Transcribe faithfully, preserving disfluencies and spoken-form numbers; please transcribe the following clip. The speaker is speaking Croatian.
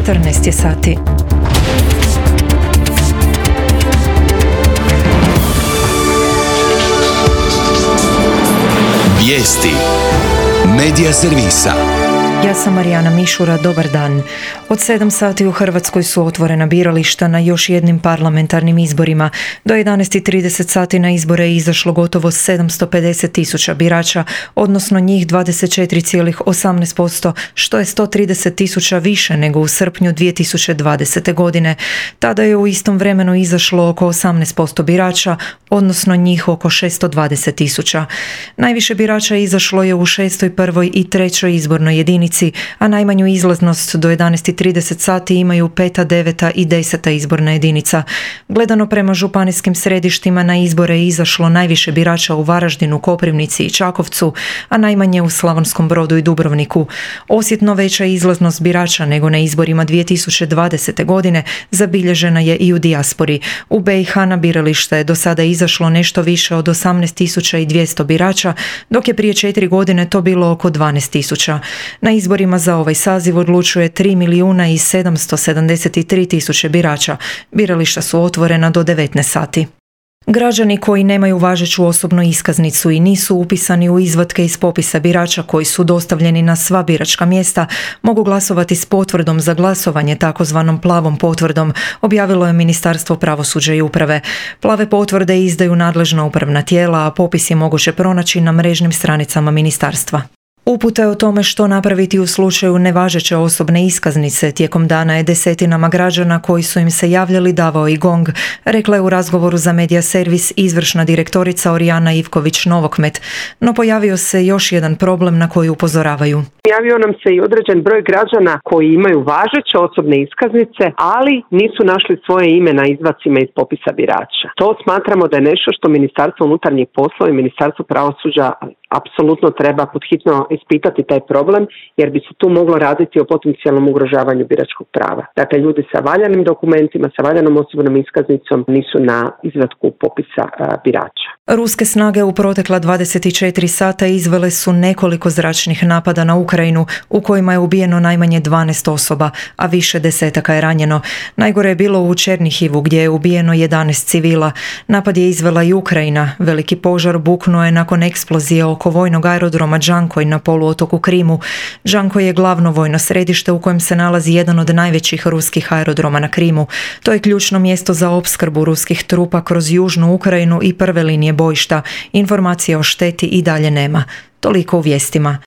četrnaest je sati. Vijesti Medija servisa. Ja sam Marijana Mišura, dobar dan. Od sedam sati u Hrvatskoj su otvorena birališta na još jednim parlamentarnim izborima. Do jedanaest i trideset sati na izbore je izašlo gotovo sedamsto pedeset tisuća birača, odnosno njih dvadeset četiri zarez osamnaest posto, što je sto trideset tisuća više nego u srpnju dvije tisuće dvadesete. godine. Tada je u istom vremenu izašlo oko osamnaest posto birača, odnosno njih oko šesto dvadeset tisuća. Najviše birača izašlo je u šestoj, prvoj i trećoj izbornoj jedinici, a najmanju izlaznost do jedanaest i trideset sati imaju peta, deveta i deseta izborna jedinica. Gledano prema županijskim središtima, na izbore je izašlo najviše birača u Varaždinu, Koprivnici i Čakovcu, a najmanje u Slavonskom Brodu i Dubrovniku. Osjetno veća izlaznost birača nego na izborima dvije tisuće dvadesete. godine zabilježena je i u dijaspori. U be i ha na biralište je do sada izašlo nešto više od osamnaest tisuća dvjesto birača, dok je prije četiri godine to bilo oko dvanaest tisuća. Na izborima za ovaj saziv odlučuje tri milijuna i sedamsto sedamdeset tri tisuće birača. Birališta su otvorena do devetnaest sati. Građani koji nemaju važeću osobnu iskaznicu i nisu upisani u izvatke iz popisa birača koji su dostavljeni na sva biračka mjesta mogu glasovati s potvrdom za glasovanje, takozvanom plavom potvrdom, objavilo je Ministarstvo pravosuđa i uprave. Plave potvrde izdaju nadležna upravna tijela, a popis je moguće pronaći na mrežnim stranicama ministarstva. Upute o tome što napraviti u slučaju nevažeće osobne iskaznice tijekom dana je desetinama građana koji su im se javljali davao i GONG, rekla je u razgovoru za Medija servis izvršna direktorica Orijana Ivković-Novokmet. No pojavio se još jedan problem na koji upozoravaju. Javio nam se i određen broj građana koji imaju važeće osobne iskaznice, ali nisu našli svoje ime na izvacima iz popisa birača. To smatramo da je nešto što Ministarstvo unutarnjih poslova i Ministarstvo pravosuđa apsolutno treba podhitno ispitati taj problem, jer bi se tu moglo raditi o potencijalnom ugrožavanju biračkog prava. Dakle, ljudi sa valjanim dokumentima, sa valjanom osobnom iskaznicom nisu na izvatku popisa a, birača. Ruske snage u protekla dvadeset četiri sata izvele su nekoliko zračnih napada na Ukrajinu u kojima je ubijeno najmanje dvanaest osoba, a više desetaka je ranjeno. Najgore je bilo u Černihivu gdje je ubijeno jedanaest civila. Napad je izvela i Ukrajina. Veliki požar buknuo je nakon eksplozije oko vojnog aerodroma Džankoj na poluotoku Krimu. Džankoj je glavno vojno središte u kojem se nalazi jedan od najvećih ruskih aerodroma na Krimu. To je ključno mjesto za opskrbu ruskih trupa kroz južnu Ukrajinu i prve linije bojišta. Informacije o šteti i dalje nema. Toliko u vijestima.